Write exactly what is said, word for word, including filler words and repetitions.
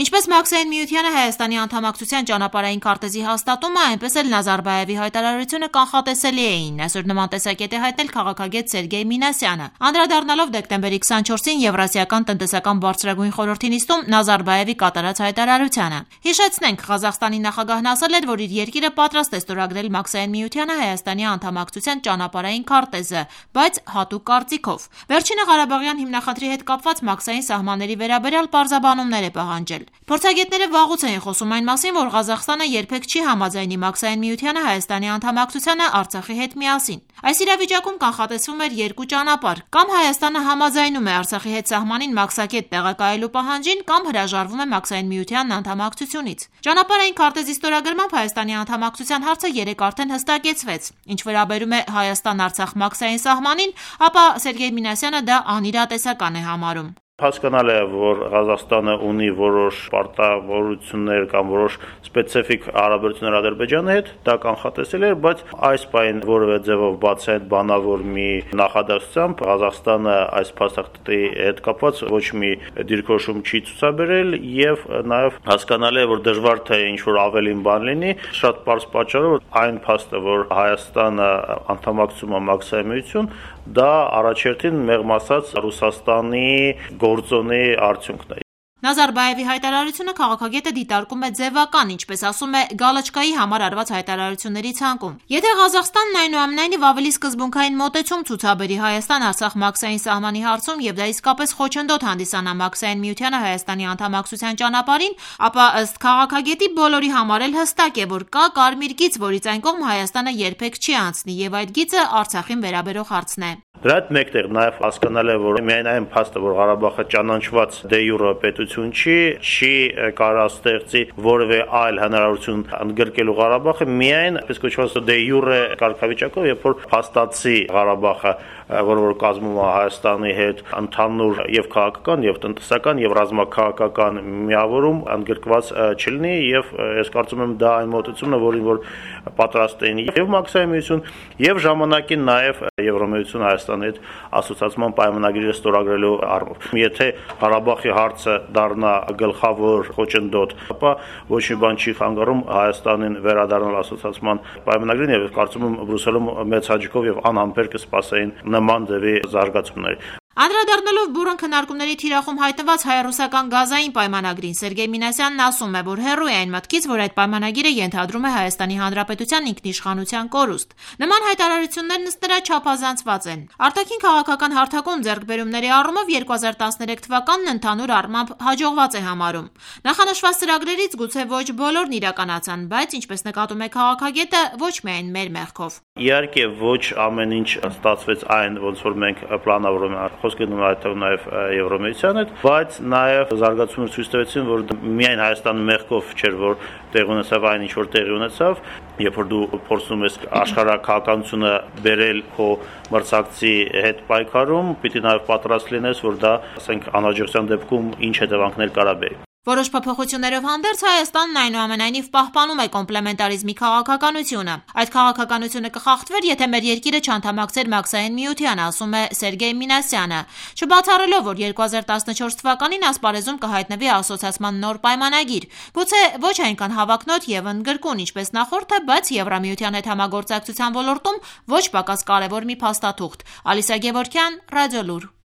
Ինչպես Մաքսային միությանը Հայաստանի անդամակցության ճանապարհային քարտեզի հաստատումը, այնպես էլ Նազարբաևի հայտարարությունը կանխատեսելի էին, այսօր նման տեսակետ է հայտնել քաղաքագետ Սերգեյ Մինասյանը։ Անդրադառնալով դեկտեմբերի քսանչորսին Եվրասիական տնտեսական բարձրագույն խորհրդի նիստում Նազարբաևի կատարած հայտարարությանը։ Հիշեցնենք, Ղազախստանի նախագահն ասել էր, որ իր երկիրը պատրաստ է ստորագրել Մաքսային միությանը Հայաստանի անդամակցության ճանապարհային քարտեզը, բայց հատուկ կարծիքով։ Վերջինը Ղարաբաղյան հիմնախնդրի հետ կապված մաքսային սահմանների վերաբերյալ պարզաբանումներ է պահանջել։ Փորձագետները վաղուց էին խոսում այն մասին, որ Ղազախստանը երբեք չի համաձայնի Մաքսային միությանը Հայաստանի անդամակցությանը Արցախի հետ միասին։ Այս իրավիճակում կանխատեսվում էր երկու ճանապարհ՝ կամ Հայաստանը համաձայնում է Արցախի հետ սահմանին մաքսակետ տեղակայելու պահանջին, կամ հրաժարվում է Մաքսային միությանն անդամակցությունից։ Ճանապարհային քարտեզի ստորագրմամբ Հայաստանի անդամակցության հարցը երեկ արդեն հստակեցվեց։ Ինչ վերաբերում է Հայաստան-Արցախ մաքսային սահմանին, ապա Սերգեյ Մինասյանը դա անիրատեսական է համարում։ Հասկանալ է, որ Ղազախստանը ունի որոշ պարտավորություններ կամ որոշ սպეციფიկ հարաբերություններ Ադրբեջանի հետ, դա կանխատեսել էր, բայց այս պայն որևէ ձևով բացի այդ բանավոր մի նախադասությամբ Ղազախստանը այս փաստաթղթի հետ կապված ոչ մի դիրքորոշում չի ցուցաբերել եւ նաեւ հասկանալ է, որ դժվար թե ինչ որ ավելին բան լինի, շատ պարզ պատճառով այն փաստը, որ Հայաստանը անդամակցում է Մաքսային միություն, դա առաջերտին մեղմ ասած Ռուսաստանի գործոնի արդյունքն է։ Նազարբաևի հայտարարությունը քաղաքագետը դիտարկում է ձևական, ինչպես ասում է, գալաչկայի համար արված հայտարարությունների ցանկում։ Եթե Ղազախստանն այնուամենայնիվ ավելի սկզբունքային մոտեցում ցուցաբերի Հայաստան-Արցախ մաքսային սահմանի հարցում եւ դա իսկապես խոչընդոտ հանդիսանա Մաքսային միությանը Հայաստանի անդամակցության ճանապարհին, ապա ըստ քաղաքագետի բոլորի համար էլ հստակ է, որ կա կարմիր գիծ, որից այն կողմ Հայաստանը երբեք չի անցնի, եւ այդ գիծը Արցախին վերաբերող հարցն է։ Դրա հետ մեկտեղ նաև հասկանալ է, որ միայն այն փաստը, որ Ղարաբաղը ճանաչված դե յուրե պետություն չի, չի կարող ստեղծի որևէ այլ հնարավորություն ընդգրկելու Ղարաբաղը միայն այսպես կոչված դե յուրե կարգավիճակով, երբ որ փաստացի Ղարաբաղը, որը որ կազմում է Հայաստանի հետ ընդհանուր եւ քաղաքական, եւ տնտեսական, եւ ռազմաքաղաքական միավորում ընդգրկված չլինի, եւ ես կարծում եմ դա այն մոտեցումն է, որին որ պատրաստ էին եւ Մաքսային միություն, եւ ժամանակին նաեւ Եվրամիություն Հայաստանի հետ ասոցիացիան պայմանագրերը ստորագրելու առումով։ Եթե Ղարաբաղի հարցը դառնա գլխավոր խոչընդոտ, ապա ոչ մի բան չի խանգարում Հայաստանին վերադառնալ ասոցիացիան պայմանագրին եւ կարծում եմ Բրյուսելում մեծ հաճույքով եւ անհամբեր կսպասեին նման ձևի զարգացումներ։ Անդրադառնալով բուրըն քննարկումների թիրախում հայտնված հայ-ռուսական գազային պայմանագրին, Սերգեյ Մինասյանն ասում է, որ հեռու է այն մտքից, որ այդ պայմանագիրը ենթադրում է Հայաստանի Հանրապետության ինքնիշխանության կորուստ։ Նման հայտարարություններն ըստ նրա չափազանցված են։ Արտաքին քաղաքական հարթակում ձեռքբերումների առումով երկու հազար տասներեք թվականն ընդհանուր առմամբ հաջողված է համարում։ Նախանշված ծրագրերից գուցե ոչ բոլորն իրականացան, բայց ինչպես նկատում է քաղաքագետը, ոչ միայն մեր մեղքով։ Իհարկե ոչ ամեն ինչ ստացվեց այն, ոնց որ մենք պլանավորում ենք, խոսքը նույնիսկ նաև Եվրամիության հետ, բայց նաև զարգացումները ցույց տվեցին, որ միայն Հայաստանի մեղքով չէր, որ տեղ ունեցավ այն ինչ որ տեղի ունեցավ, երբ որ դու փորձում ես աշխարհակահաղականությունը բերել քո մրցակցի հետ պայքարում, պիտի նաև պատրաստ լինես, որ դա, ասենք, անհաջողության դեպքում ինչ հետևանքներ կարա բերի։ Որոշ փոփոխություններով հանդերձ Հայաստանն այնուամենայնիվ պահպանում է կոմպլեմենտարիզմի քաղաքականությունը։ Այդ քաղաքականությունը կխախտվեր, եթե մեր երկիրը չանդամակցեր Մաքսային միությանը, ասում է Սերգեյ Մինասյանը, չբացառելով, որ երկու հազար տասնչորս թվականին ասպարեզում կհայտնվի ասոցիացիան նոր պայմանագիր։ Գուցե ոչ այնքան հավակնոտ եւ ընդգրկուն, ինչպես նախորդը, բայց Եվրամիության հետ համագործակցության ոլորտում ոչ պակաս կարևոր մի փաստաթուղթ։ Ալիսա Գևորգյան, Ռադիոլուր։